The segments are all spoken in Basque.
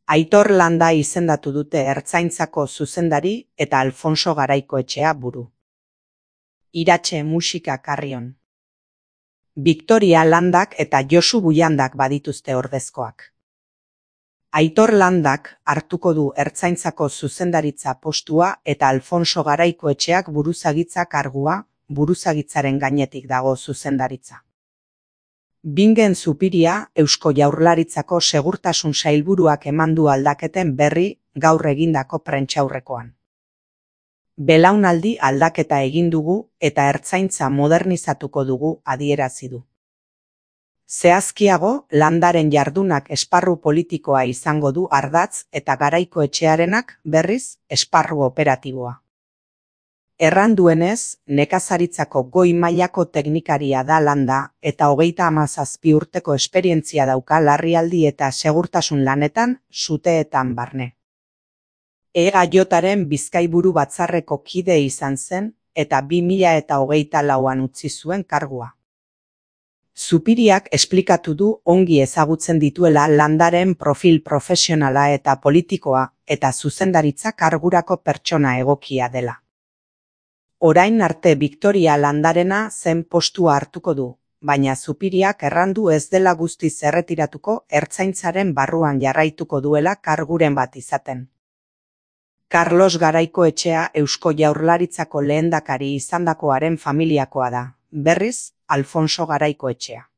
Aitor Landa izendatu dute Ertzaintzako zuzendari eta Alfonso Garaikoetxea buru. Iratxe musika Karrion. Victoria Landak eta Josu Buiandak badituzte ordezkoak. Aitor Landak hartuko du Ertzaintzako zuzendaritza postua eta Alfonso Garaikoetxeak buruzagitza kargua, buruzagitzaren gainetik dago zuzendaritza. Bingen Zupiria Eusko Jaurlaritzako Segurtasun Sailburuak emandu aldaketen berri gaur egindako prentsaurrekoan. Belaunaldi aldaketa egin dugu eta Ertzaintza modernizatuko dugu adierazi du. Zehazkiago, Landaren jardunak esparru politikoa izango du ardatz eta Garaikoetxearenak berriz esparru operatiboa. Erran duenez, nekazaritzako goi mailako teknikaria da Landa eta 37 urteko esperientzia dauka larrialdi eta segurtasun lanetan, suteetan barne. EAJaren Bizkaiburu Batzarreko kide izan zen eta 2024an utzi zuen kargua. Zupiriak esplikatu du ongi ezagutzen dituela Landaren profil profesionala eta politikoa eta zuzendaritza kargurako pertsona egokia dela. Orain arte Victoria Landarena zen postua hartuko du, baina Zupiriak errandu ez dela guztiz erretiratuko Ertzaintzaren barruan jarraituko duela karguren bat izaten. Carlos Garaikoetxea Eusko Jaurlaritzako lehendakari izandakoaren familiakoa da, berriz Alfonso Garaikoetxea.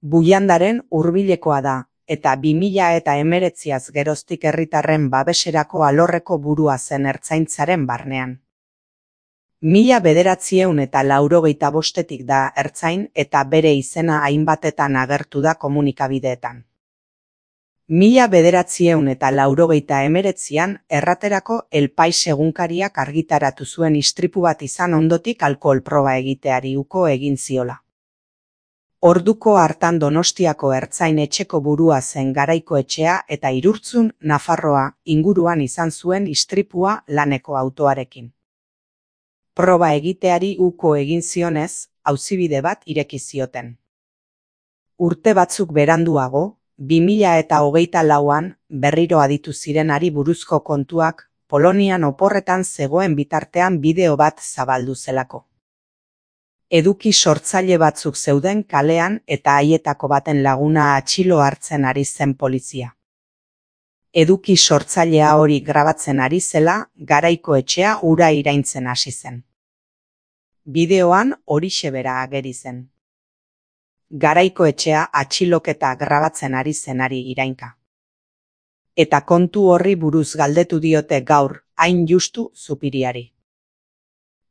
Buiandaren hurbilekoa da, eta 2019az geroztik herritarren babeserako alorreko burua zen Ertzaintzaren barnean. 1985etik da ertzain eta bere izena hainbatetan agertu da komunikabideetan. 1989an erraterako El Pais egunkariak argitaratu zuen istripu bat izan ondotik alkohol proba egiteari uko egin ziola. Orduko hartan Donostiako ertzain etxeko burua zen Garaikoetxea eta Irurtzun, Nafarroa inguruan izan zuen istripua laneko autoarekin. Proba egiteari uko egin zionez, auzibide bat ireki zioten. Urte batzuk beranduago, 2024an berriro aditu zirenari buruzko kontuak Polonian oporretan zegoen bitartean bideo bat zabaldu zelako. Eduki sortzaile batzuk zeuden kalean eta haietako baten laguna atxilo hartzen ari zen polizia. Eduki sortzailea hori grabatzen ari zela, Garaikoetxea ura iraintzen hasi zen. Bideoan horixe bera ageri zen. Garaikoetxea atxiloketa grabatzen ari zenari irainka. Eta kontu horri buruz galdetu diote gaur, hain justu Zupiriari.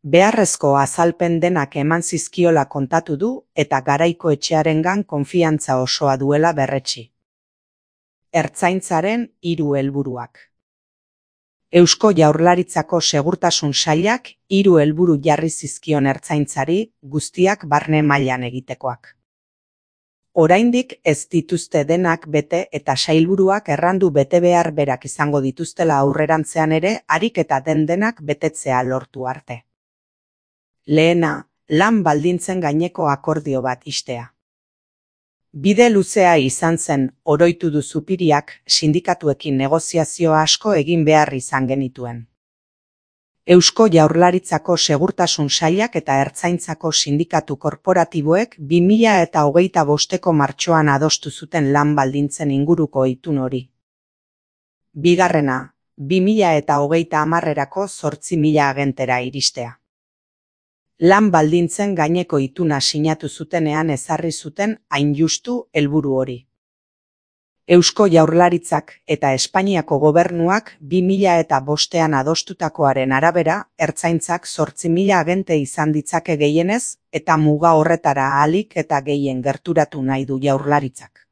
Beharrezko azalpen denak eman zizkiola kontatu du eta Garaikoetxearengan konfiantza osoa duela berretsi. Ertzaintzaren 3 helburuak. Eusko Jaurlaritzako Segurtasun Sailak 3 helburu jarri zizkion Ertzaintzari, guztiak barne mailan egitekoak. Oraindik ez dituzte denak bete eta sailburuak errandu betebehar berak izango dituztela aurrerantzean ere harik eta denak betetzea lortu arte. Lehena, lan baldintzen gaineko akordio bat ixtea. Bide luzea izan zen, oroitu du Zupiriak, sindikatuekin negoziazio asko egin behar izan genituen. Eusko Jaurlaritzako Segurtasun Sailak eta Ertzaintzako sindikatu korporatiboek 2025ko martxoan adostu zuten lan baldintzen inguruko itun hori. Bigarrena, 2030erako 8.000 agentera iristea. Lan baldintzen gaineko ituna sinatu zutenean ezarri zuten hain justu helburu hori. Eusko Jaurlaritzak eta Espainiako gobernuak 2005an adostutakoaren arabera, Ertzaintzak 8.000 agente izan ditzake gehienez eta muga horretara ahalik eta gehien gerturatu nahi du Jaurlaritzak.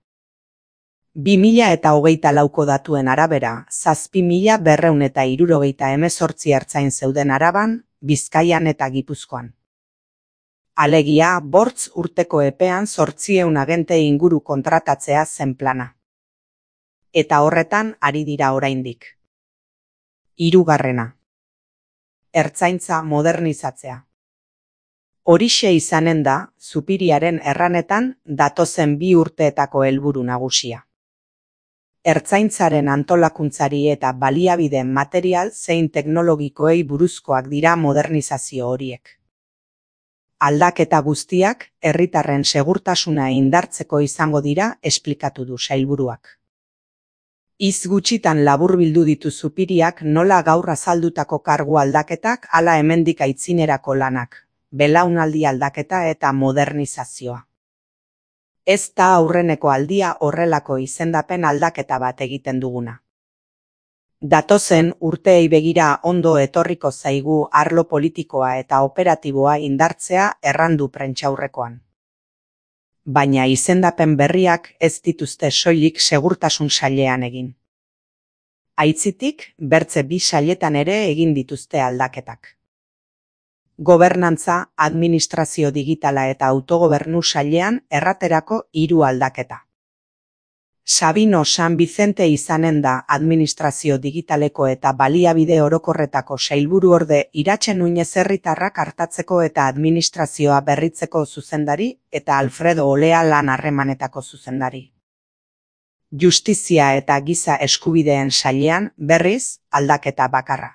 2024ko datuen arabera, 7.278 ertzain zeuden Araban, Bizkaian eta Gipuzkoan. Alegia, 5 urteko epean 800 agente inguru kontratatzea zen plana. Eta horretan ari dira oraindik. Hirugarrena. Ertzaintza modernizatzea. Horixe izanen da, Zupiriaren erranetan, datozen 2 urteetako helburu nagusia. Ertzaintzaren antolakuntzari eta baliabide material zein teknologikoei buruzkoak dira modernizazio horiek. Aldaketa guztiak herritarren segurtasuna indartzeko izango dira, esplikatu du sailburuak. Hitz gutxitan laburbildu ditu Zupiriak nola gaur azaldutako kargu aldaketak hala hemendik aitzinerako lanak, belaunaldi aldaketa eta modernizazioa. Ez da aurreneko aldia horrelako izendapen aldaketa bat egiten duguna. Datozen urteei begira ondo etorriko zaigu arlo politikoa eta operatiboa indartzea errandu prentsaurrekoan. Baina izendapen berriak ez dituzte soilik segurtasun sailean egin. Aitzitik, bertze 2 sailetan ere egin dituzte aldaketak. Gobernantza, administrazio digitala eta autogobernu sailean erraterako 3 aldaketa. Sabino San Vicente izanen da administrazio digitaleko eta baliabide orokorretako sailburuorde Iratxe Nuñez herritarrak artatzeko eta administrazioa berritzeko zuzendari eta Alfredo Olea lan harremanetako zuzendari. Justizia eta giza eskubideen sailean berriz aldaketa bakarra.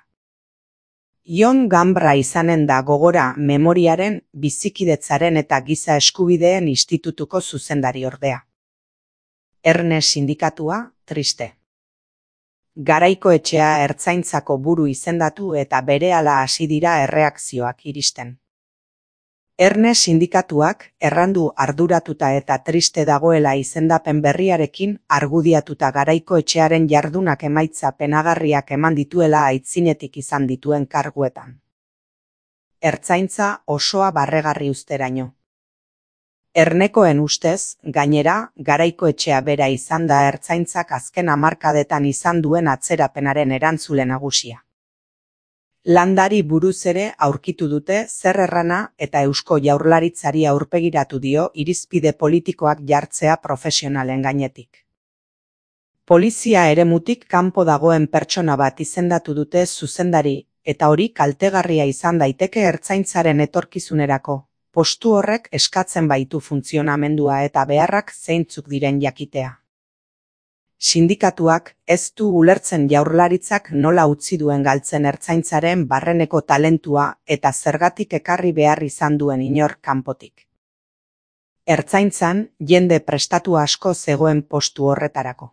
Jon Gambra izanen da gogora memoriaren, bizikidetzaren eta giza eskubideen institutuko zuzendari ordea. Erne sindikatua, triste. Garaikoetxea ertzaintzako buru izendatu eta berehala hasi dira erreakzioak iristen. Erne sindikatuak errandu arduratuta eta triste dagoela izendapen berriarekin argudiatuta Garaikoetxearen jardunak emaitza penagarriak eman dituela aitzinetik izan dituen karguetan. Ertzaintza osoa barregarri uzteraino. Ernekoen ustez, gainera, Garaikoetxea bera izan da ertzaintzak azken hamarkadetan izan duen atzerapenaren erantzule nagusia. Landari buruz ere aurkitu dute zer errana eta Eusko Jaurlaritzari aurpegiratu dio irizpide politikoak jartzea profesionalen gainetik. Polizia eremutik kanpo dagoen pertsona bat izendatu dute zuzendari, eta hori kaltegarria izan daiteke ertzaintzaren etorkizunerako. Postu horrek eskatzen baitu funtzionamendua eta beharrak zeintzuk diren jakitea. Sindikatuak ez du ulertzen Jaurlaritzak nola utzi duen galtzen ertzaintzaren barreneko talentua eta zergatik ekarri behar izan duen inor kanpotik. Ertzaintzan jende prestatu asko zegoen postu horretarako.